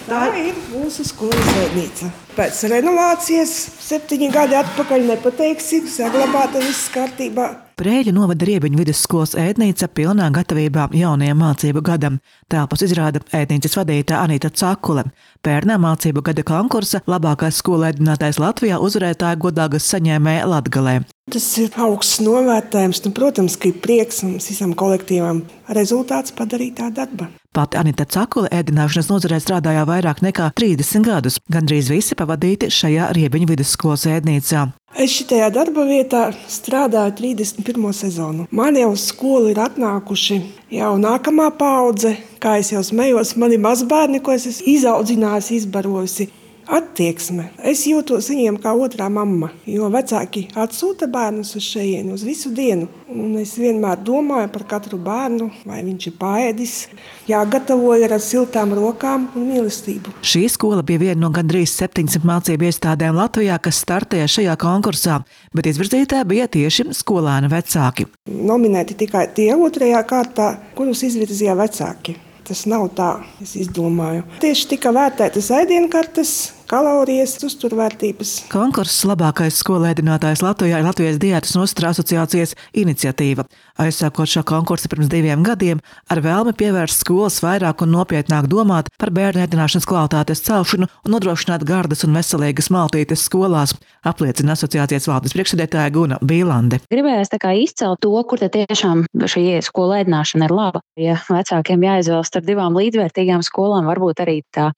Tā ir mūsu skolas ēdnīca. Pēc renovācijas 7 gadi atpakaļ nepateiksi, saglabāta viss kārtībā. Prēļu novada Riebiņu vidusskolas ēdnīca pilnā gatavībā jaunajam mācību gadam. Telpas izrāda ēdnīcas vadītāja Anita Cakule. Pērnā mācību gada konkursa labākais skolu ēdinātājs Latvijā uzvarētāja godāgas saņēmēja Latgalē. Tas ir augsts novērtējums, protams, ka ir prieks mums visam kolektīvam rezultāts padarītā darba. Pati Anita Cakule ēdināšanas nozarē strādāja vairāk nekā 30 gadus, gandrīz visi pavadīti šajā Riebiņu vidusskolas ēdnīcā. Es šitajā darba vietā strādāju 31. sezonu. Man jau uz skolu ir atnākuši jau nākamā paudze, kā es jau smējos, mani mazbērni, ko es esmu izaudzinājusi, izbarojusi. Attieksme. Es jūtos viņiem kā otrā mamma, jo vecāki atsūta bērnus uz šejieni uz visu dienu. Un es vienmēr domāju par katru bērnu, vai viņš ir paēdis, jāgatavoja ar siltām rokām un mīlestību. Šī skola bija viena no gandrīz 700 mācību iestādēm Latvijā, kas startēja šajā konkursā, bet izvirzītāji bija tieši skolēnu vecāki. Nominēti tikai tie otrajā kārtā, kurus izvirzīja vecāki. Tas nav tā, es izdomāju. Tieši tika vērtētas ēdienkartes, kalorijas, uzturvērtības. Konkurss labākais skolu ēdinātājs Latvijā ir Latvijas diētas un uzturu asociācijas iniciatīva. Aizsākot šo konkursu pirms 2 gadiem, ar vēlmi pievērst skolas vairāk un nopietnāk domāt par bērnu ēdināšanas kvalitātes celšanu un nodrošināt gardas un veselīgas maltītes skolās, apliecina asociācijas valdes priekšsēdētāja Guna Bīlande. Gribējās izcelt to, kur tiešām šī skola ēdināšana ir laba. Ja vecākiem jāizvēlas starp 2 līdzvērtīgām skolām, varbūt arī tā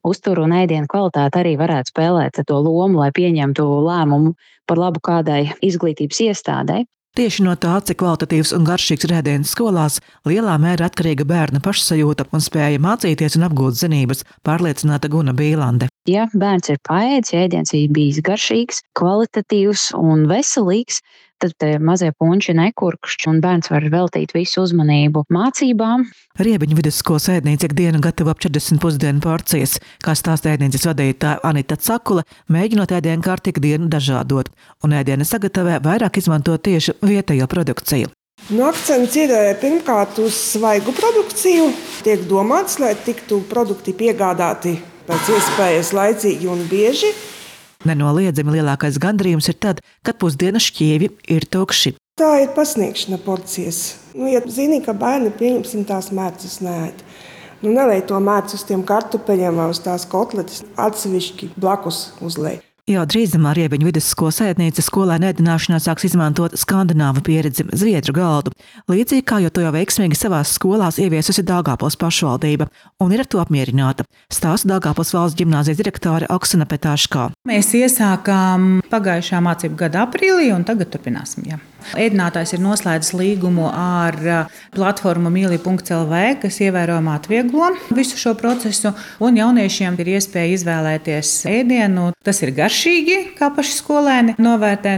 uzturu un ēdienu kvalitāte arī varētu spēlēt to lomu, lai pieņemtu lēmumu par labu kādai izglītības iestādei. Tieši no tā, cik kvalitatīvs un garšīgs ir ēdiens skolās, lielā mērā atkarīga bērna pašsajūta un spēja mācīties un apgūt zinības, pārliecināta Guna Bīlande. Ja bērns ir paēdis, ja ēdiens ir bijis garšīgs, kvalitatīvs un veselīgs, tad mazie punči nekurkšķi un bērns var veltīt visu uzmanību mācībām. Riebiņu vidusskolas ēdnīca ikdienu gatavo ap 40 pusdienu porcijas, kā stāsta ēdnīcas vadītāja Anita Cakule, mēģinot ēdienu kārtu ikdienu dažādot, un ēdienu sagatavē vairāk izmantot tieši vietējo produkciju. Akcents ir pirmkārt uz svaigu produkciju. Tiek domāts, lai tiktu produkti piegādāti pēc iespējas laicīgi un bieži. Nenoliedzami lielākais gandarījums ir tad, kad pusdienas šķievi ir tukši. Tā ir pasniegšana porcijas. Ja zini, ka bērni pieņemsim tās mērcus neēd. Nelej to mērcu uz tiem kartupeļiem vai uz tās kotletes, atsevišķi blakus uzlej. Jau drīzumā Riebiņu vidusskolas ēdnīca skolēnu ēdināšanā sāks izmantot skandināvu pieredzi zviedru galdu, līdzīgi kā jau to veiksmīgi savās skolās ieviesusi Daugavpils pašvaldība, un ir ar to apmierināta, stāsta Daugavpils valsts ģimnāzijas direktore Oksana Petāškā. Mēs iesākām pagājušā mācību gada aprīlī un tagad turpināsim. Jā. Ēdinātājs ir noslēdzis līgumu ar platformu mili.lv, kas ievērojami atvieglo visu šo procesu, un jauniešiem ir iespēja izvēlēties ēdienu. Tas ir garšīgi, kā paši skolēni novērtē.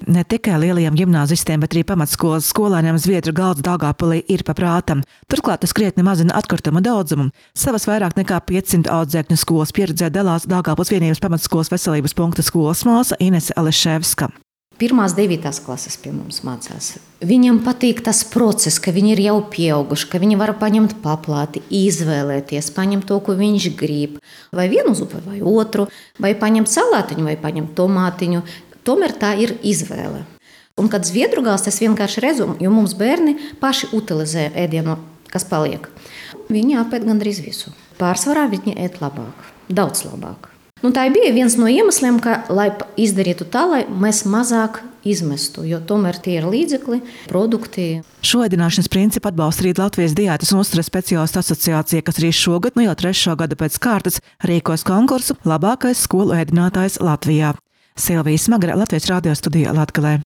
Ne tikai lielajiem ģimnāzistiem, bet arī pamatskolas skolēniem zviedru galds Daugavpilī ir pa prātam. Turklāt tas krietni mazina atkrituma daudzumu. Savas vairāk nekā 500 audzēkņu skolas pieredzē dalās Daugavpils vienības pamatskolas veselības punkta skolas māsa Inese Aleševska. 1.–9. klases pie mums mācās. Viņam patīk tas process, ka viņi ir jau pieauguši, ka viņi var paņemt paplāti, izvēlēties, paņemt to, ko viņš grib. Vai vienu zupu, vai otru, vai paņemt salātiņu, vai paņemt tomātiņu. Tomēr tā ir izvēle. Un kad zviedru gals, tas vienkārši redzu, jo mums bērni paši utilizē ēdienu, kas paliek. Viņi apēd gandrīz visu. Pārsvarā viņi ēd labāk, daudz labāk. Tā bija viens no iemesliem, lai izdarītu tā, lai mēs mazāk izmestu, jo tomēr tie ir līdzekļi, produkti. Šo ēdināšanas principu atbalsta arī Latvijas diētas un uzturas speciālistu asociācija, kas arī šogad, jau 3. gadu pēc kārtas, rīkos konkursu labākais skolu ēdinātājs Latvijā. Silvija Smagara, Latvijas radio studija Latgalē.